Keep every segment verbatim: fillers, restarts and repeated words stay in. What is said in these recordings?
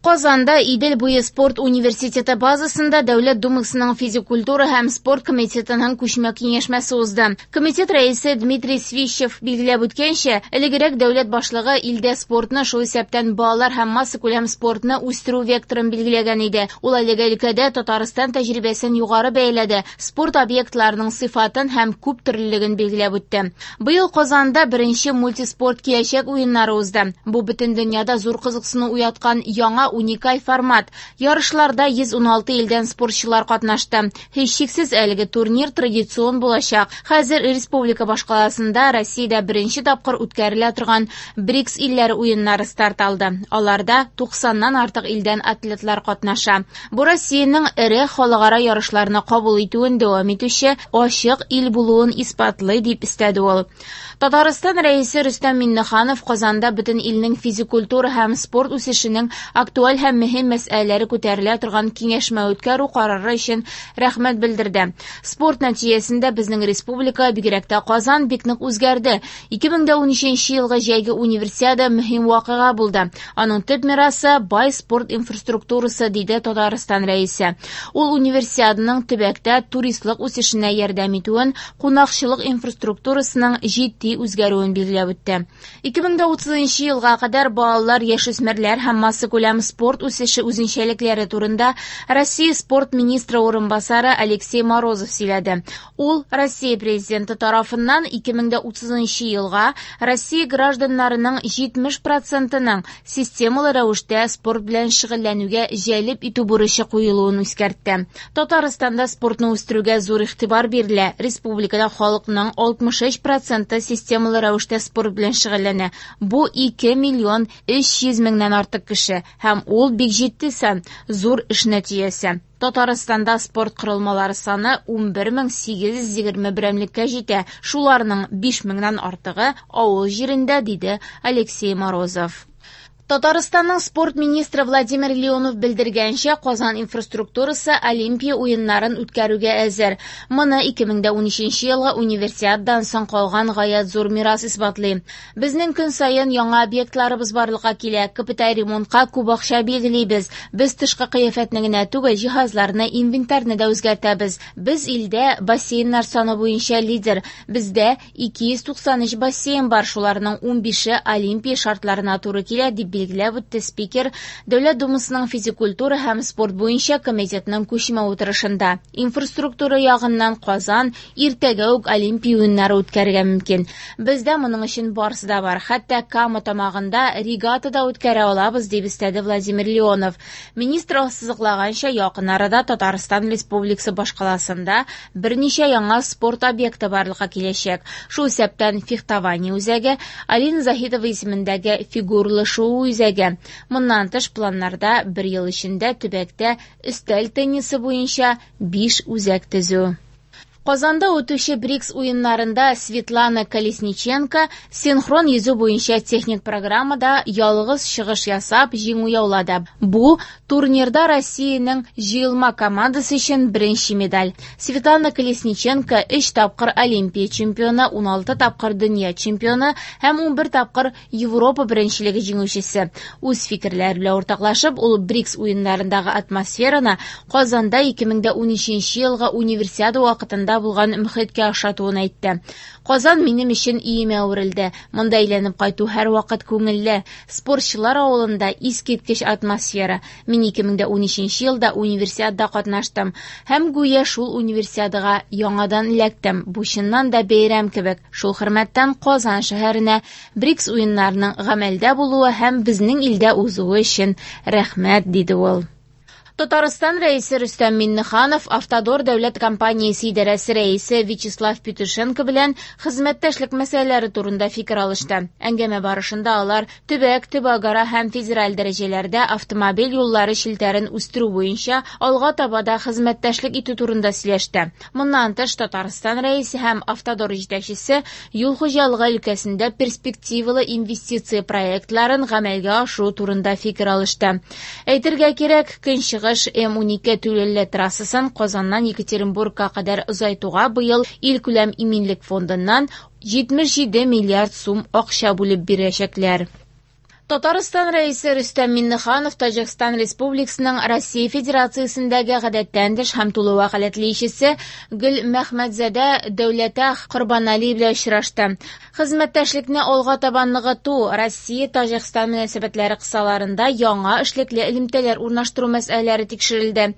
Казанда Идел буе спорт университеты базасында Дәүләт Думасының физик культура һәм спорт комитетының күчмә киңәшмәсе узды. Комитет рәисе Дмитрий Свищев билгеләп үткәнчә, элегрәк дәүләт башлыгы илдә спортны, шул исәптән балалар һәм массакүләм спортны үстерү векторын билгеләгән иде. Ул әлеге өлкәдә Татарстан тәҗрибәсен югары бәяләде, спорт объектларының сыйфатын һәм күп төрлелеген билгеләп үтте. Быел Казанда беренче мультиспорт киләчәк уеннары узды. Бу бөтен дөньяда зур кызыксыну уяткан яңа уникаль формат. Ярышларда йөз уналты илдән спортчылар катнашты. Һичшиксез әлеге турнир традицион булачак. Хәзер республика башкаласында Россиядә беренче тапкыр үткәрелә торган БРИКС илләре уеннары старт алды. Аларда туксаннан артык илдән атлетлар катнаша. Бу Россиянең эре халыкара ярышларны кабул итүен дәвам итүче ачык ил булуын исбатлый, дип өстәде ул. Татарстан рәисе Рөстәм Миңнеханов Казанда бөтен илнең физик культура һәм спорт үсешенең актуаль һәм мөһим мәсьәләләре күтәрелә торган киңәшмә үткәрү карары өчен рәхмәт белдерде. Спорт нәтиҗәсендә безнең республика, бигрәк тә Казан, бик нык үзгәрде. ике мең дә унөченче елгы җәйге универсиада мөһим вакыйга булды. Аның төп мирасы бай спорт инфраструктурасы, диде Татарстан рәисе. Ул универсиаданың төбәктә туристлык үсешенә ярдәм итүен, кунакчылык инфраструктурасының җитди үзгәрүен билгеләп үтте. ике мең дә утызынчы елга кадәр балалар, яшүсмерләр һәм массакүләм спорт үсеше үзенчәлекләре турында Россия спорт министры урынбасары Алексей Морозов сөйләде. Ул Россия президенты тарафыннан ике мең дә утызынчы елга Россия гражданнарының җитмеш процентының системалы рәвештә спорт белән шөгыльләнүгә җәлеп итү бурычы куелуын искәртте. Татарстанда спортны үстерүгә зур игътибар бирелә. Республикада халыкның алтмыш өч проценты системалы рәвештә спорт белән шөгыльләнә. Бу ике миллион өч йөз меңнән артык кеше һәм ул бик җитди сан, зур эш нәтиҗәсе. Татарстанда спорт корылмалары саны унбер мең сигез йөз егерме берәмлеккә җитә. Шуларның биш меңнән артыгы авыл җирендә, диде Алексей Морозов. Татарстанның спорт министры Владимир Леонов белдергәнчә, Казан инфраструктурасы Олимпия уеннарын үткәрүгә әзер. Моны ике мең дә унөченче елгы универсиададан соң калган гаять зур мирас исбатлый. Безнең көн саен яңа объектларыбыз барлыкка килә. Капиталь ремонтка күп акча билгелибез. Без тышкы кыяфәтне генә түгел, җиһазларны, инвентарьны да үзгәртәбез. Без илдә бассейннар саны буенча лидер. Бездә ике йөз туксан өч бассейн бар, шуларның унбише Олимпия шартларына туры килә, дип билгеләп үтте спикер Дәүләт Думасының физик культура һәм спорт буенча комитетының күчмә утырышында. Инфраструктура ягыннан Казан иртәгә үк Олимпия уеннары үткәрергә мөмкин. Бездә моның өчен барысы да бар. Хәтта Кама тамагында регата да үткәрә алабыз, дип өстәде Владимир Леонов. Министр ассызыклаганча, якын арада Татарстан Республикасы башкаласында берничә яңа спорт объекты барлыкка киләчәк. Шул исәптән фехтование үзәге, Алина Заһитова исемендәге фигурлы шуу үзәге. Моннан тыш планнарда бер ел эчендә төбәктә өстәл теннисы буенча биш үзәк төзү. Казанда үтүче БРИКС уеннарында Светлана Колесниченко синхрон йөзү буенча техник программада ялгыз чыгыш ясап җиңү яулады. Бу турнирда Россиянең җыелма командасы өчен беренче медаль. Светлана Колесниченко өч тапкыр Олимпия чемпионы, уналты тапкыр дөнья чемпионы һәм унбер тапкыр Европа беренчелеге җиңүчесе. Үз фикерләре белән уртаклашып, ул БРИКС уеннарындагы атмосфераны Казанда ике мең дә унөченче елгы универсиада вакытында булган мөхиткә охшатуын әйтте. Казан минем өчен өемә әверелде. Монда әйләнеп кайту һәрвакыт күңелле. Спортчылар авылында искиткеч атмосфера. Мин ике мең дә унөченче елда универсиадада катнаштым һәм гүя шул универсиадага яңадан эләктем. Бу чыннан да бәйрәм кебек. Шул хөрмәттән Казан шәһәренә БРИКС уеннарының гамәлдә булуы һәм безнең илдә узуы өчен рәхмәт, диде ул. Татарстан рәисе Рөстәм Миңнеханов Автодор дәүләт компаниясе идарәсе рәисе Вячеслав Петушенко белән хезмәттәшлек мәсьәләләре турында фикер алышты. Әңгәмә барышында алар төбәк, төбәкара һәм федераль дәрәҗәләрдә автомобиль юллары челтәрен үстерү буенча алга таба да хезмәттәшлек итү турында сөйләште. Моннан тыш Татарстан рәисе һәм Автодор җитәкчесе юл хуҗалыгы өлкәсендә перспективалы инвестиция проектларын гамәлгә ашыру турында фикер алышты. Әйтергә кирәк, көнчыгыш М унике түләүле трассасын Казаннан Екатеринбургка кадәр озайтуга быел илкүләм иминлек фондыннан җитмеш җиде миллиард сум акча бүлеп бирәчәкләр. Татарстан Рәисе Рөстәм Миңнеханов Таҗикстан Республикасының Россия Федерациясендәге гадәттән тыш һәм тулы вәкаләтле илчесе Гөлмәхмәтзадә Дәүләтах Корбанали белән очрашты. Хезмәттәшлекне алга таба ныгыту, Россия-Таҗикстан мөнәсәбәтләре кысаларында яңа эшлекле элемтәләр урнаштыру мәсьәләләре тикшерелде.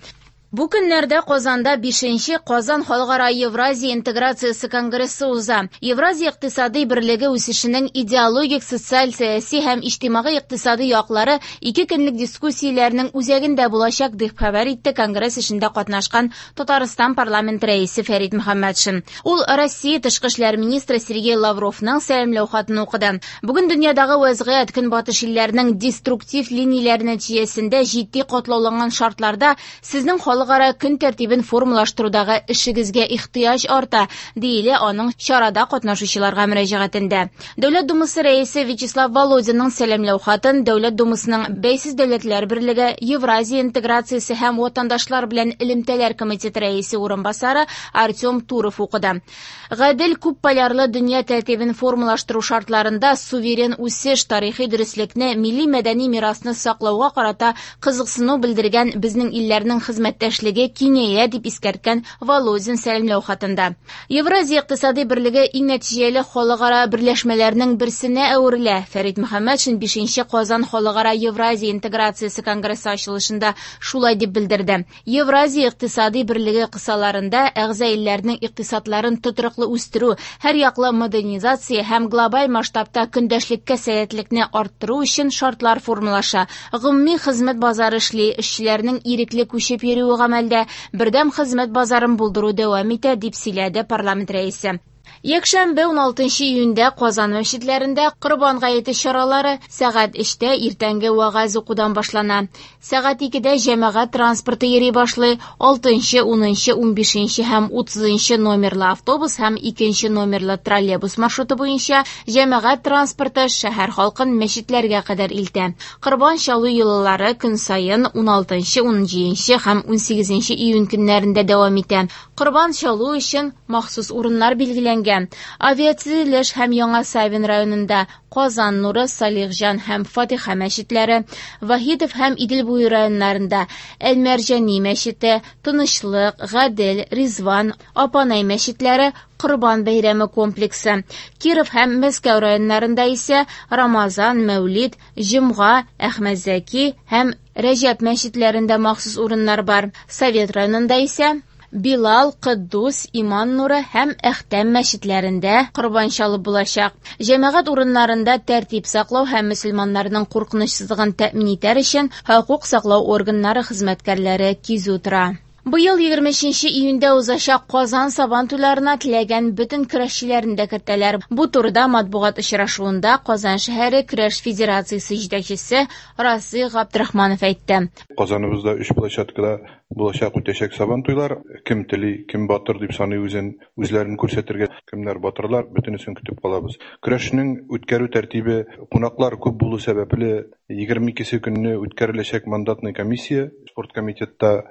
Бу көннәрдә Казанда бишенче Казан Халыкара Евразия интеграциясе конгрессы уза. Евразия икътисади берлеге үсешенең идеологик, социаль, сәяси һәм иҗтимагый икътисади яклары ике көнлек дискуссияләрнең үзәгендә булачак, дип хәбәр итте конгресс эшендә катнашкан Татарстан парламент рәисе Фәрит Мөхәммәтшин. Ул Россия тышкы эшләр министры Сергей Лавровның сәламләү хатын укыды. Бүген дөньядагы вәзгыять көнбатыш илләренең деструктив линияләре нәтиҗәсендә җитди катлауланган шартларда сезнең халык Халыкара көн тәртибен формалаштырудагы эшегезгә ихтыяҗ арта, диелә аның чарада катнашучыларга мөрәҗәгатендә. Дәүләт Думасы рәисе Вячеслав Володинның сәламләү хатын Дәүләт Думасының Бәйсез дәүләтләр берлеге, Евразия интеграциясе һәм ватандашлар белән элемтәләр комитеты рәисе урынбасары Артем Туров укыды. Гадел күпполярлы дөнья тәртибен формалаштыру шартларында суверен үсеш, тарихи дөреслекне, милли мәдәни мирасны саклауга карата кызыксыну белдергән безнең илләрнең хезмәттәшлеге киңәя, дип искәрткән Володин сәламләү хатында. Евразия икътисади берлеге иң нәтиҗәле халыкара берләшмәләрнең берсенә әверелә. Фәрит Мөхәммәтшин бишенче Казан Халыкара Евразия интеграциясе конгрессы ачылышында шулай дип белдерде. Евразия икътисади берлеге кысаларында әгъза илләрнең икътисадларын тотрыклы үстерү, һәр яклы модернизация һәм глобаль масштабта көндәшлеккә сәләтлекне арттыру өчен шартлар формалаша. Гомуми хезмәт базары эшли, эшчеләрнең ирекле күчеп йөрүе гамәлдә, бердәм хезмәт базарын булдыру дәвам итә, дип сөйләде парламент рәисе. Якшәмбе ун алтынчы июньдә Казан мәчетләрендә Корбан гаете чаралары сәгать өчтә иртәнге вәгазь укудан башлана. Сәгать икедә җәмәгать транспорты йөри башлый. Алтынчы, унынчы, унбишенче һәм утызынчы номерлы автобус һәм икенче номерлы троллейбус маршруты буенча җәмәгать транспорты шәһәр халкын мәчетләргә кадәр илтә. Корбан чалу йолалары көн саен ун алтынчы, унҗиденче һәм унсигезенче июнь көннәрендә дәвам итә. Корбан чалу өчен махсус урыннар билгеләнгән. Авиатөзелеш һәм Яңа Савин районында Казан Нуры, Салихҗан һәм Фатиха мәчетләре, Вахитов һәм Идел буе районнарында Әлмәрҗани мәчете, Тынычлык, Гадел, Ризван, Апанай мәчетләре, Корбан бәйрәме комплексы, Киров һәм Мәскәү районнарында исә Рамазан, Мәүлид, Җомга, Әхмәтзәки һәм Рәҗәп мәчетләрендә махсус урыннар бар. Совет районында исә Билал, Кыддус, Иман Нуры һәм Әхтәм мәчетләрендә корбан чалып булачак. Җәмәгать урыннарында тәртип саклау һәм мөселманнарның куркынычсызлыгын тәэмин итәр өчен хокук саклау органнары хезмәткәрләре кизү тора. Быел егерме өченче июньдә узачак Казан Сабан туйларына теләгән бөтен көрәшчеләрне дә кертәләр. Бу турыда матбугат очрашуында Казан шәһәре көрәш федерациясе җитәкчесе Расих Габдрахманов әйтте. Казаныбызда өч площадкада булачак үтәчәк Сабан туйлар. Кем тели, кем батыр дип саный үзен, үзләрен күрсәтергә, кемнәр батырлар, бөтенесен көтеп калабыз. Көрәшнең үткәрү тәртибе кунаклар күп булу сәбәпле егерме икесе көнне үткәреләчәк мандатный комиссия спорт комитетта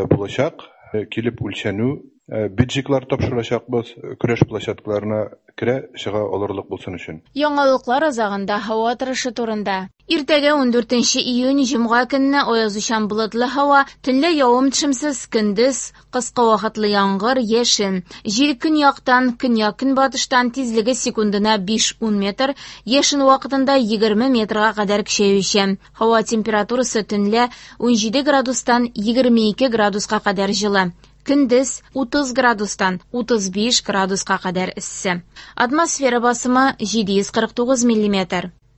булачак. Килеп үлчәнү, биджиклар тапшырачакбыз, көрәш площадкаларына керә чыга алырлык булсын өчен. Яңалыклар азагында һава торышы турында. Иртәгә ундүртенче июнь җомга көнне аязучан болытлы һава, төнлә явым-төшемсез, көндез кыска вакытлы яңгыр, яшен. Җил көньяктан, көньяк-көнбатыштан тизлеге секундына биш-ун метр, яшен вакытында егерме метрга кадәр көчәючән. Һава температурасы төнлә унҗиде градустан егерме ике градуска кадәр җылы. Көндез утыз градустан утыз биш градуска кадәр эссе. Атмосфера басымы җиде йөз кырык тугыз миллиметр.